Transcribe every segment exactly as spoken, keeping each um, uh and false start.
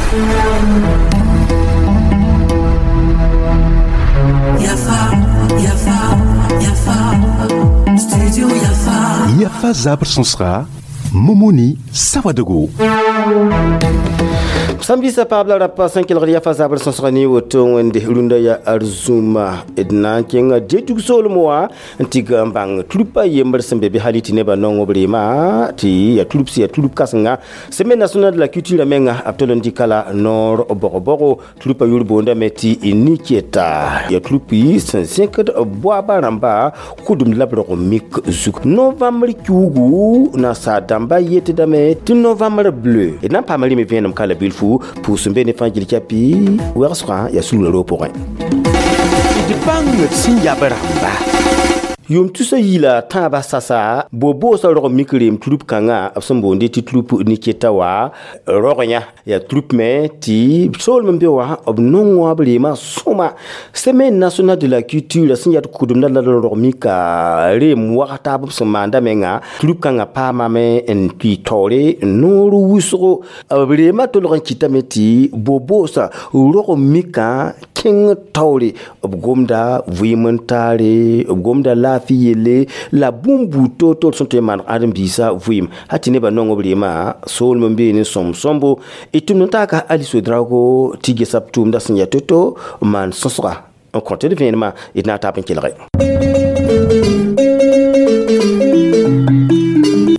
Yafa, Yafa, Yafa, Studio Yafa. Yafa zabr sõsga Momoni Sawadogo. Samedi sa paab la rapa sẽn kelgd yafa zabr sõsga ne woto wẽnde rũndã ya arzũma d na n kẽnga detug soolem wã n tɩ n bãng trupa yembr sẽn be bɩ hali tɩ nebã nong b reema tɩ ya trup sẽn ya trup kãsenga Semaine nationale de la culture menga b tol n dɩka la noor bog-bogo trupa yʋr boondame tɩ Niketa ya trupi sẽn zẽkd boaba rãmba kʋdem la b rog mik zug novembre kiugu nasaar dãmba yetdame tɩ novembre bleu d na n paama rɩme vẽenem ka la bilfu pʋʋs n be ne fãa gil kɛpɩ wɛgsgã yaa sulga roog pʋgẽ d bãng d sẽn yab rãmba yʋʋm tusa yila tãabã sasa bo-boosã rog mik reem trup kãngã b sẽn boonde tɩ trup Niketa wa rog yã yaa trup me tɩ soolem n be wã b nong wã b reemã sõma Semaine nationale de la culture sẽn yaa kʋdemdã la rog mika reem wag taab b sẽn maanda menga trup kãngã paamame n tɩ taoore noor wʋsgo b reemã tolg n kɩtame tɩ bo-boosã rog mikã kẽng taoore b gomda vɩɩm n taare b gomda laafɩ yelle la bũmb buud toor-toor sẽn tõe n maan ãdem-biisã vɩɩm hal tɩ nebã nong b reemã soolem n bee ne sõm-sõmbo d tʋmd n taaka Alice Drago tɩ gesa b tʋʋmdã sẽn yaa to-to n maan sõsga n kõ tɩ d vẽenemã d na n taab n kelge.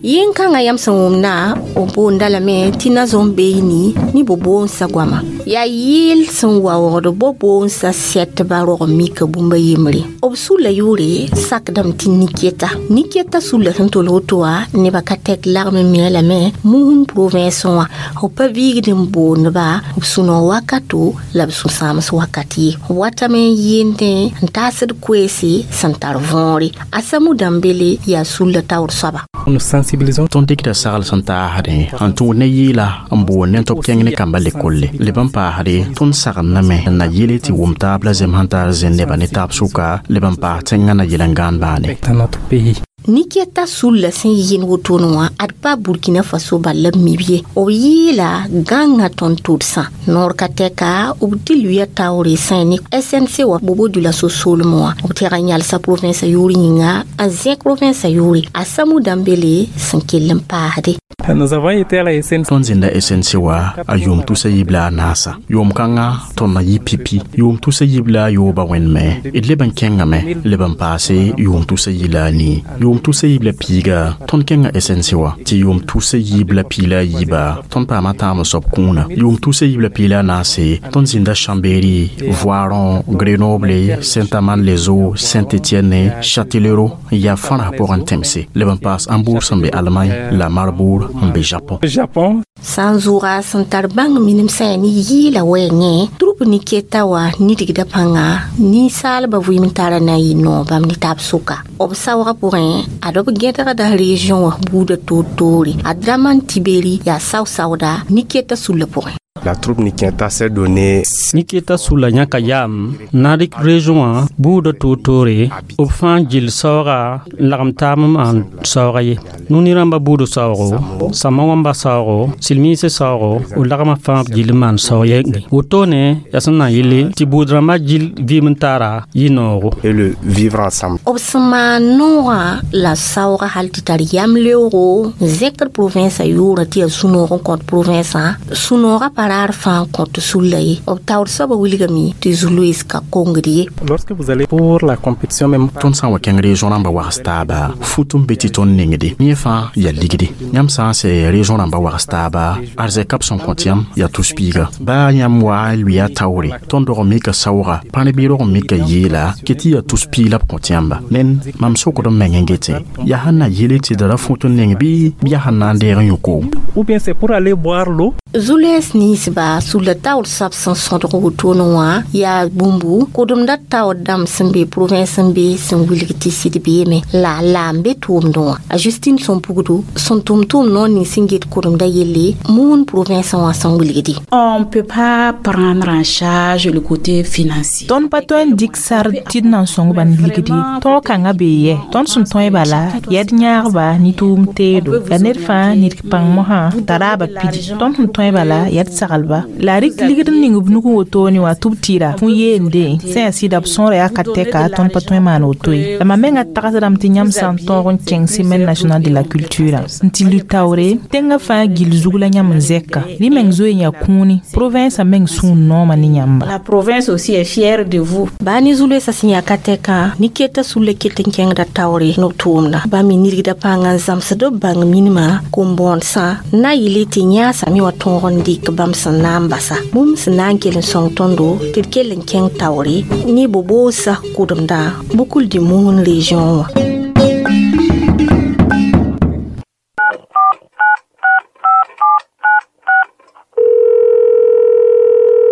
Yẽn-kãngã yãmb sẽn wʋmda b boonda lame tɩ na-zõm beeyni ne bo-boonsã goama yaa yɩɩl sẽn waoogd bo-boonsã sɛtba rog mika bũmba yembre b sulla yʋʋre sakdame tɩ Niketa Niketa sulla sẽn tol woto wã nebã ka tɛk lagm n mia lame Mouhoun province wã b pa viigd n boondba b sũ-noog wakato la b sũ-sãams wakat ye b watame n yɩɩndẽ n taasd koeese sẽn tar võore a Samu Dambele yaa sulla taoor soaba. Nous sensibilisons Tõnd dɩkda sagl sẽn taasdẽ n tũud ne yɩɩla n boond ne tɩ b kẽng ne kambã lekolle leb n paasde tõnd sagendame n na yele tɩ wʋm taab la zem sẽn tar zẽn nebã ne taab sʋka leb n paas tẽngã na yel n gãan baane. Dans notre pays. Niketa sulla sẽn yɩɩn wotone wã ad pa Burkina Faso bal la b mib ye b yɩɩla gãnga tõnd tʋdsã noor ka tɛka b tɩ luya taoore sã ne S N C wã bobo dula so-soolem wã b tɛg n yalsa province yʋʋr yĩnga n zẽk province yʋʋre a Samu Dambele sẽn kell n paasde. Nous avons été à la S N C. Tõnd zĩnda S N C wã a yʋʋm tusa yiib la a naasa yʋʋm kãngã tõnd na yɩ pipi yʋʋm tusa yiib la a yooba wẽndme d leb n kẽngame leb n paase yʋʋm tusa yi la a nii yʋʋm tusa yiib la piiga tõnd kẽnga S N C wã tɩ yʋʋm tusa yiib la pii la a yiiba tõnd paama tãam soab kũuna yʋʋm tusa yiib la pii la a naase tõnd zĩnda Chambéry, Voiron, Grenoble, Saint-Amand-les-Eaux, Saint-Étienne, Châtellerault n yaa fãrã pʋgẽ tẽmse leb n paas Hambourg sẽn be Allemagne la Marbourg n be Japon. Japon. Sã n zʋʋga sẽn tar bãng minim sã ne yɩɩla wɛɛngẽ trup Niketa wã nidgda pãnga ninsaalbã vɩɩm tara na n yɩ noog bãmb ne taab sʋka b saoogã pʋgẽ ad b gẽdgda région wã buudã toor-toore a Draman Tiberi yaa sao-saooda Niketa sulla pʋgẽ. La troupe Niketa s'est donnée. Niketa sulla yãka yaam Narik région wã buudã toor-toore b fãa gill saooga n lagem taab n maan saooga ye Nuni rãmbã buudã saoogo Sama wãmba saoogo silmiisã saoogo b lagmã fãa b gill n maan saoog yenge wotone yaa sẽn na n yelle tɩ buud rãmbã gill vɩɩm n taara yɩ noogo. Et le vivre ensemble. B sẽn maan noogã la saooga hal tɩ tar yam leoogo n zẽkd province yʋʋrã tɩ yaa sũ-noog n kõt province sũ-noogã pa raar fãa n kõt sulla ye b taoor soabã wilgame tɩ zu-loees ka kongd ye. Lorsque vous allez pour la compétition même. Tõnd sã n wa kẽng région rãmbã wags taaba fut n be tɩ tõnd nengde yẽ fãa yaa ligde yãmb sã n sɛ région rãmbã wags taaba arzɛka b sẽn kõt yãmb yaa tus-piiga baa yãmb wa n lʋɩa taoore tõnd rog n mika saooga pãn bɩ rog n mika yeela kɩ tɩ yaa tus-piig la b kõt yãmba ned mam sokd m meng n gete yaa sẽn na yele tɩ d ra fut n neng bɩ yaa sẽn na n deeg n yõ koom. Ou bien c'est pour aller boire l'eau. Zu-loees ninsba sulla taoor soab sẽn sõdg wotone wã yaa bũmbu kʋdemda taoor dãmb sẽn be province n be sẽn wilg tɩ sɩd beeme la la n be tʋʋmdẽ wã a Justine Sõmpugdu sẽn tʋm tʋʋm noor ning sẽn get kʋdemda yelle Mouhoun province wã sẽn wilgde. On peut pas prendre en charge le côté financier. Tõnd pa tõe n dɩk sar tɩ d na n sõng bãnd ligdi tõog kãngã bee yɛ tõnd sẽn tõe bala yaa d yãagba ne tʋʋm teedo la ned fãa nidg pãng mosã t'a raaba pidi tõnd sẽn tõe bala yaa d sagl saglba la rɩk ligd n ning b nug n wotoone wã tɩ b tɩɩra fũ yeende sẽn yaa sɩda b sõora yaa ka tɛka tõnd pa tõe n maan woto ye la mam menga tagsdame tɩ yãmb sã n tõog n kẽng semaine nationale de la culture n tɩ lʋ taoore tẽngã fãa gill zug la yãmb n zɛka rɩ meng zoe n yaa kũuni province meng sũur nooma ne yãmba. La province aussi est fière de vous. Baa ne zu-loeesã sẽn yaa ka tɛkã ne keta sulla ket n kẽngda taoore ne b tʋʋmda bãmb me nidgda pãngã n zãmsd b bãng minimã kom-bõodsã na yɩle tɩ yãasame wã tõog n dɩk bãmb sẽn na n basa bũmb sẽn na n kell n sõng tõndo tɩ d kell n kẽng taoore ne bo-boosã kʋdemdã Boucle du Mouhoun région wã.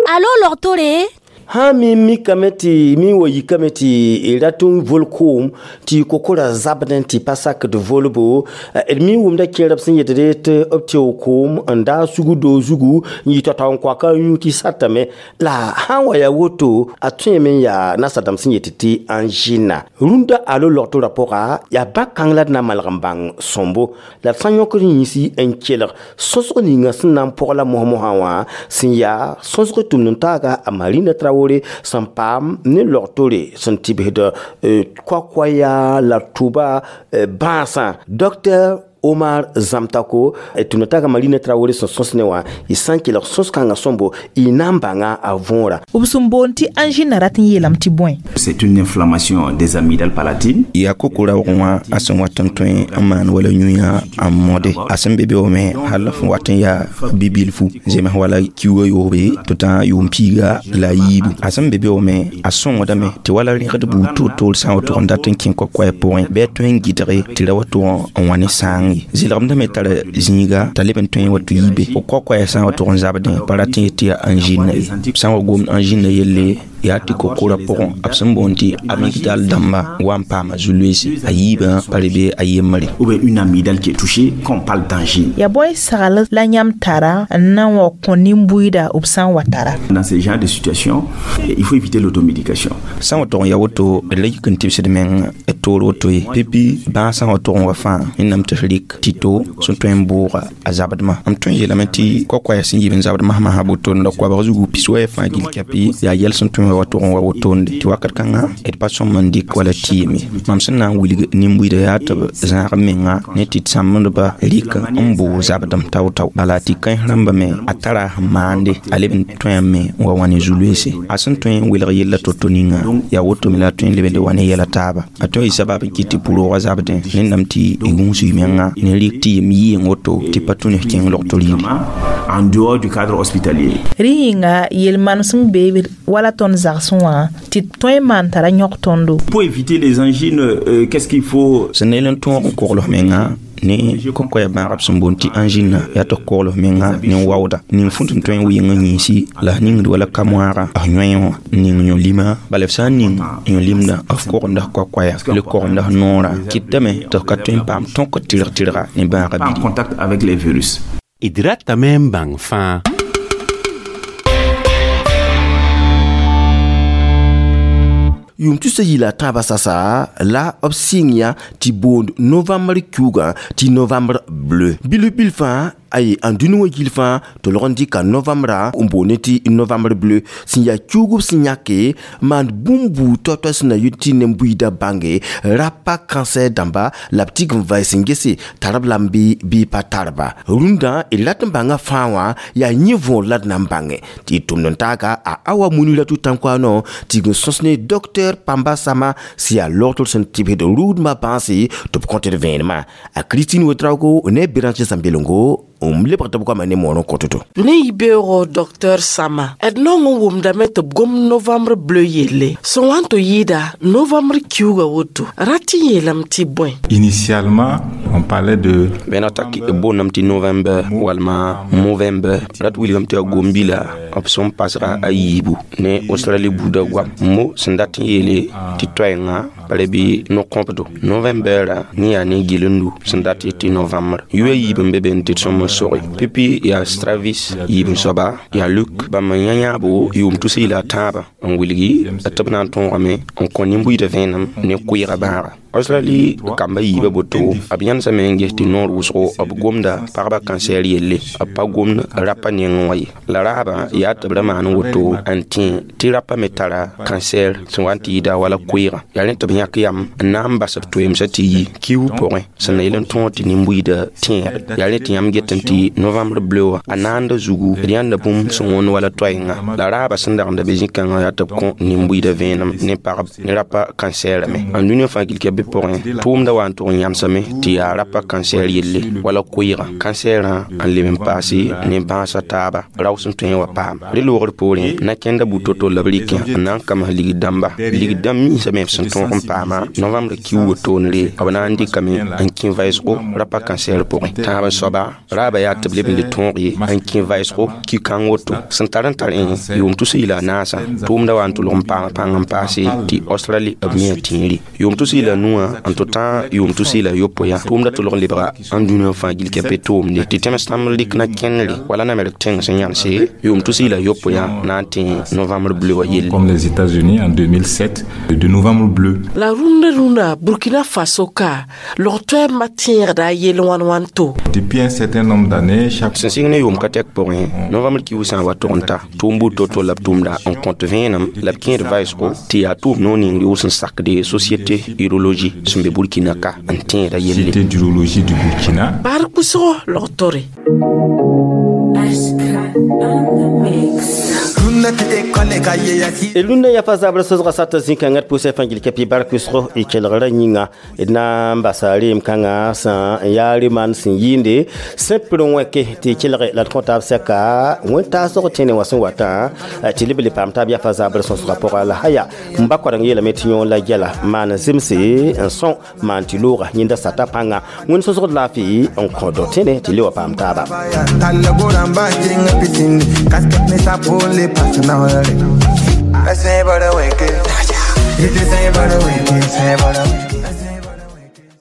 Alo logtore ha mi mikame tɩ mi wa yikame tɩ rat n vol koom tɩ kokora zabdẽ tɩ pa sakd volbo d mi wʋmda kẽerb sẽn yetde tɩ b teo koom n daa sugu doo zugu n yɩ tao-tao n koaka n yũ tɩ satame la sã n wa yaa woto a tõeme n yaa nasadãmb sẽn yet tɩ angina rũndã alo logtorã pʋga yaa bã-kãng la d na n malg n bãng sõmbo la d sã n yõkd yĩsi n kelg sõsg ninga sẽn na n pʋg la mos-mosã wã sẽn yaa sõsg tʋmd n taaga a Marina Traoré sẽn paam ne logtore sẽn tɩbsd koa-koaya la tʋba bãasã docteur Omar Zamtako tʋmd taaga Marina Traoré sẽn sõs ne wã y sã n kelg sõs-kãngã sõmbo y na n bãnga a võora. B sẽn boond tɩ angine rat n yeelame tɩ bõe. C'est une inflammation des amygdales palatines. Yaa kokora wʋgẽ wã a sẽn wat n tõe n maan wala yũ-yã n mode a sẽn be beoome hal f wat n yaa bi-bilfu zems wala kiuugã yoobe tɩ tã yʋʋm piiga la a yiibu a sẽn be beoome a sõngdame tɩ wala rẽgd buud toor-toor sã n wa tʋg n dat n kẽ koa-koɛɛ pʋgẽ bɩ a tõe n gɩdge tɩ ra wa tʋg n wa ne sãang ye zɩlgemdame tara zĩiga t'a leb n tõe n wa tɩ yiibe fo koa-koɛɛ sã n wa tʋg n zabdẽ pa rat n yet tɩ yaa angine ye sã n wa gomd angine yelle yaa tɩ kokora pʋgẽ b sẽn boond tɩ amygdale dãmba wa n paama zu-loeese a yiibã pa re be a yembre. Ou bien une amygdale qui est touchée quand on parle d'angine. Yaa bõe sagl la yãmb tara n na n wa kõ nin-buiida b sã n wa tara. Dans ce genre de situation, il faut éviter l'automédication. Sã n wa tʋg n yaa woto d la yik n tɩbsd meng d toor woto ye pipi bãag sã n wa tʋg n wa fãa wẽnnaam tɩ f rɩk tɩ-to sẽn tõe n bʋʋga a zabdmã m tõe n yeelame tɩ koa-koɛɛg sẽn yib n zabd masmasã botonda koabg zugu pis-wɛ fãa gill kɛpɩ yaa yɛl sẽn tõe wa tʋg n wa wotonde tɩ wakat kãngã d pa sõm n dɩk wala tɩɩme mam sẽn na n wilg nin-buiida yaa tɩ b zãag menga ne tɩ d sãmbdba rɩk n bʋʋg zabdem tao-tao bala tɩ kãens rãmba me a tara sẽn maande a leb n tõeame n wa wã ne zu-loeese a sẽn tõe n welg yella to-to ninga yaa wotome la a tõe n lebende wa ne yɛla taaba a tõe yɩ sabab n kɩt tɩ pʋroogã zabdẽ nennam tɩ y gũus y menga ne rɩk tɩ yem yɩɩng woto tɩ pa tũ ne kẽng logto rɩɩre. En dehors du cadre hospitalier. Rẽ yĩnga yel-manesem bee wala tõnd zagsẽ wã tɩ tõe n maan tara yõk tõndo. Pour éviter les angines, euh, qu'est-ce qu'il faut? Sẽn na yel n tõog n kogl f menga ne kokoya bãagb sẽn boond tɩ angine yaa tɩ kogl f menga ne waooda ning fũnt n tõe n wɩng n yĩnsi la f ningd wala ka-moaaga f yõe wã n ning yõ-lima bala f sã n ning yõ-limda f kogenda f koa-koaya le kogenda f noora kɩtame tɩ f ka tõe n paam tõk tɩrg-tɩrga ne bãagã En bidi. contact avec les virus. D ratame n bãng fãa. Yʋʋm tusa yila tãabã sasa la b sɩng yã tɩ boond novembre kiuugã tɩ novembre bleu bilf bil fãa aye n dũni wã gill fãa tɩ lg n dɩka novembra n boonde tɩ novembre bleu sẽn yaa kiuug b sẽn yãke maand bũmb buud tao-tao sẽn na yʋ tɩ nen-buiidã bãnge rapa cancer dãmba la b tig n vai sẽn gese tar b lame bɩ bɩ pa tarba rũndã d rat n bãnga fãa wã yaa yẽ võor la d na n bãnge tɩ d tʋmd n taaga a awa Muniratu Tãnkoano tɩ g sõs ne docteur Pamba Sama sẽn yaa logtr sẽn tɩbsd rʋʋdmã bãase tɩ b kõt d vẽenemã a Christine Ouedraogo ne Béranger Zambelongo n lebg tɩ b goama ne moor n kõt-to. Ne yibeoogo docteur Sama d naong n wʋmdame tɩ b gom novembre bleu yelle sẽn wa n tɩ yɩɩda novembre kiuugã woto rat n yeelame tɩ bõe. Initialement, on parlait de bẽna tak b boondame tɩ novembre walma movembre rat wilgame tɩ yaa gom-bila b sẽn pasga a yiibu ne australie buudã goam mo sẽn dat n yeele tɩ toɛɛngã pa re bɩ no-kõbdo novembre ne yaa ne gillendu sẽn dat tɩ novembre yʋa yiib n be be n tɩ d sõm n soge pipi yaa Stravis yiib n soaba yaa Luk bãmb n yã yãabo yʋʋm tus yila a tãabã n wilgi tɩ b na n tõogame n kõ nin-buiidã vẽenem ne kʋɩɩga bãaga. Australie kamba yiibã boto b yãnesame n ges tɩ noor wʋsgo b gomda pagba cancer yelle, b pa gomd rapa nengẽ wã ye. La raabã yaa tɩ b ra maan woto n tẽ tɩ rapa me tara cancer sẽn wa n tɩ yɩɩda wala koeegã. Yaa rẽ tɩ b yãk yam n na n bas b toeemsã tɩ yi kiuug pʋgẽ sẽn na yel n tõog tɩ nin-buiidã tẽegre. Yaa rẽ tɩ yãmb get n tɩ novembre bleu wã a naanda zugu d yãnda bũmb sẽn wõnd wala toaenga. La raabã sẽn dagenda be zĩ-kãngã yaa tɩ b kõ nin-buiidã vẽenem ne pagb ne rapa cancer me. N dũniyã fãa gilka bɩ pʋgẽ tʋʋmda wa n tʋg n yãmsame tɩ yaa rapa cancer yelle wala koeegã. Cancerã n leb n paase ne bãasã taaba rao sẽn tõe n wa paam. Rẽ loogr poorẽ na kẽnda buud to-to la b rɩkẽ n na n kams ligd dãmba. Ligd dãmb minsame b sẽn tõog n paama novembre kiuugã toonre b na n dɩkame n kẽ vɩsgo rapa cancer pʋgẽ. Tãab n soaba raabã yaa tɩ b leb n le tõog ye n kẽ vɩsgo ki-kãng woto. Sẽn tar n tar ẽ yʋʋm tus y la a naasã tʋʋmda wa n tʋlg n paam pãng n paase tɩ Australie b mia tẽere. Yʋʋm tus y la nuwã n tɩ tã yʋʋm tus y la yopoe yã tʋʋmda tʋlg n lebga n dũniyã fãa gilka pe tʋʋmde tɩ tẽms tãmb rɩk na kẽnere wala namrg tẽng sẽn yãnse yʋʋm tus y la yopoe yã na n tẽ novembre bleu wã yelle. Comme les États-Unis en deux mille sept, de novembre bleu. La rũndã rũndã Burkina Faso ka log toɛɛmbã tẽegda a yell wãn wãn to. Depuis un certain nombre d'années, chaque Sẽn sɩng ne yʋʋm ka tɛk pʋgẽ, novembre kiuug sã n wa tʋg n ta, tʋʋm buud to-to la b tʋʋmda n kõt vẽenem la b kẽed vaɩsgo tɩ yaa tʋʋm noor ning rɩʋs n sakde Société urologie sẽn be Burkina ka n tẽeda yelle. Société d'urologie du Burkina. Baar kʋsgo log-tore. H K on the mix. Rũndã yafa zabr sosga sat zĩ-kãngã d pʋsã fãa gil kapi bark wʋsgo y kelgra yĩnga. D na n basa reem kãngã sã n yaa reman sẽn yɩɩnde sẽn pir n wẽke tɩ y kelge la d kõ taab sɛka wẽn-taasg tẽne wã sẽn watã tɩ leb le paam taab yafa zabr sõsgã pʋga. La haya m ba koadeng yeelame tɩ yõ la gɛla maan zemse n sõ maan tɩ looga yẽnda sata pãnga. Wẽnd sõsgd laafɩ n kõ do tẽne tɩ le wa paam taaba. Talla goran ba jenga pitin kasket ni sapole pasna hore. Ese bara weke. Ite se bara weke.